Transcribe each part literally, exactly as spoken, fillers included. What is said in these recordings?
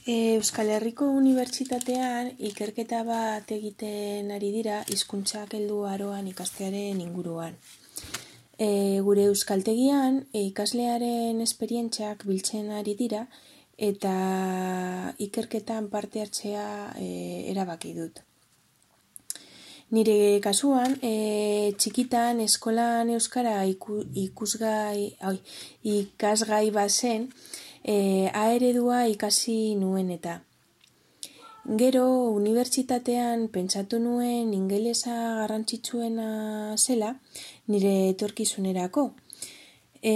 Euskal Herriko Unibertsitatean ikerketa bat egiten ari dira hizkuntzak heldu aroan ikastearen inguruan. E, gure euskaltegian e, ikaslearen esperientziak biltzen ari dira eta ikerketan parte hartzea e, erabaki dut. Nire kasuan, e, txikitan eskolan euskara iku, ikusgai, oi, ikasgai bazen, e, A eredua ikasi nuen eta. Gero, unibertsitatean pentsatu nuen ingelesa garrantzitsuena zela nire etorkizunerako. E,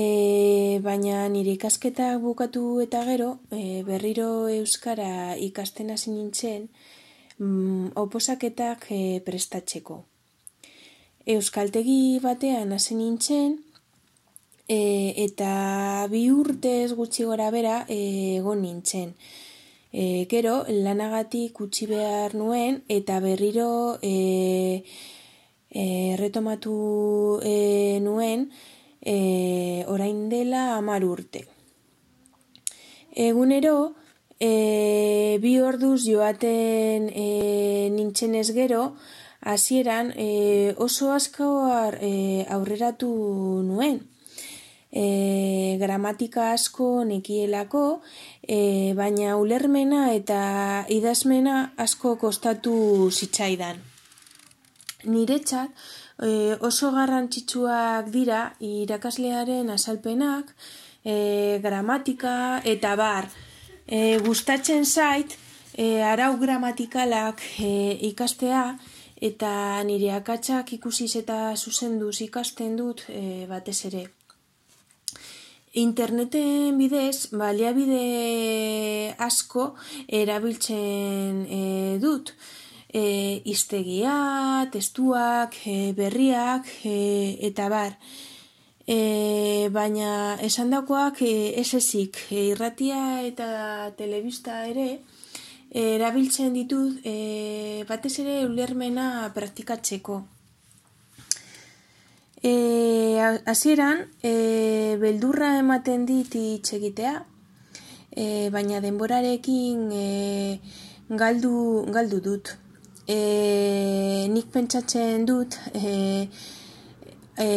baina nire ikasketak bukatu eta gero, e, berriro euskara ikasten hasi nintzen, mm, oposaketak e, prestatzeko. Euskaltegi batean hasi nintzen, e, eta bi urtez gutxi gora bera e, egon nintzen. E, gero, lanagatik utzi behar nuen eta berriro e, e, retomatu e, nuen e, orain dela hamar urte. Egunero, e, bi orduz joaten e, nintzenez gero, hasieran e, oso asko e, aurreratu nuen. E, gramatika asko nekielako, e, baina ulermena eta idazmena asko kostatu zitzaidan. Niretzat e, oso garrantzitsuak dira irakaslearen azalpenak, e, gramatika eta bar. E, gustatzen zait e, arau gramatikalak e, ikastea eta nire akatsak ikusiz eta zuzenduz ikasten dut e, batez ere. Interneten bidez, baliabide asko erabiltzen e, dut. E, hiztegia, testuak, e, berriak e, eta bar. E, baina esandakoak e, ez ezik, e, irratia eta telebista ere e, erabiltzen ditut e, batez ere ulermena praktikatzeko. E, hasieran, e, beldurra ematen dit hitz egitea, e, baina denborarekin e, galdu, galdu dut. E, nik pentsatzen dut e, e,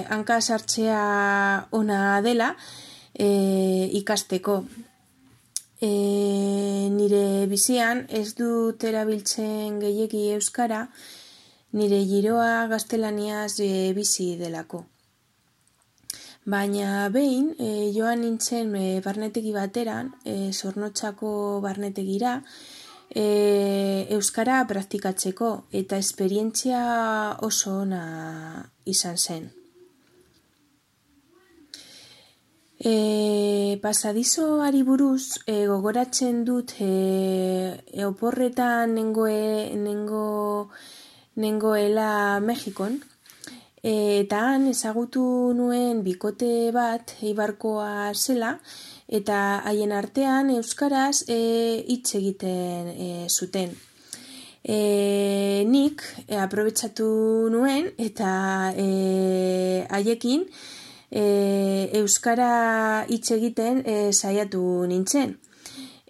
hanka sartzea ona dela e, ikasteko. E, nire bizian ez dut erabiltzen gehiegi euskara, nire giroa gaztelaniaz e, bizi delako. Baina behin, e, joan nintzen e, barnetegi bateran, e, Zornotzako barnetegira, e, euskara praktikatzeko eta esperientzia oso ona izan zen. E, pasadizoari buruz e, gogoratzen dut e, e, oporretan nengoe, nengo nengoela Mexikon, eta han ezagutu nuen bikote bat eibarkoa zela, eta haien artean euskaraz hitz e, egiten e, zuten. E, nik e, aprobetxatu nuen eta e, haiekin e, euskara hitz egiten e, saiatu nintzen.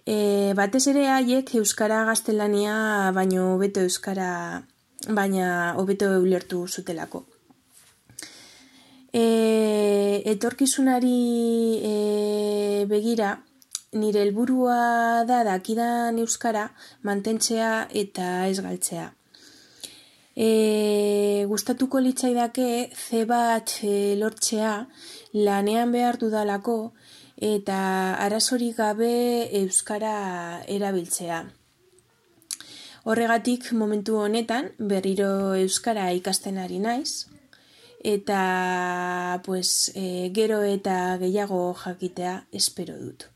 E, batez ere haiek euskara gaztelania baino hobeto euskara baina hobeto ulertu zutelako. E, etorkizunari e, begira, nire helburua da dakidan euskara mantentzea eta ez galtzea. E, gustatuko litzaidake ze bat e, lortzea lanean behar dudalako eta arazorik gabe euskara erabiltzea. Horregatik momentu honetan berriro euskara ikasten ari naiz eta pues, e, gero eta gehiago jakitea espero dut.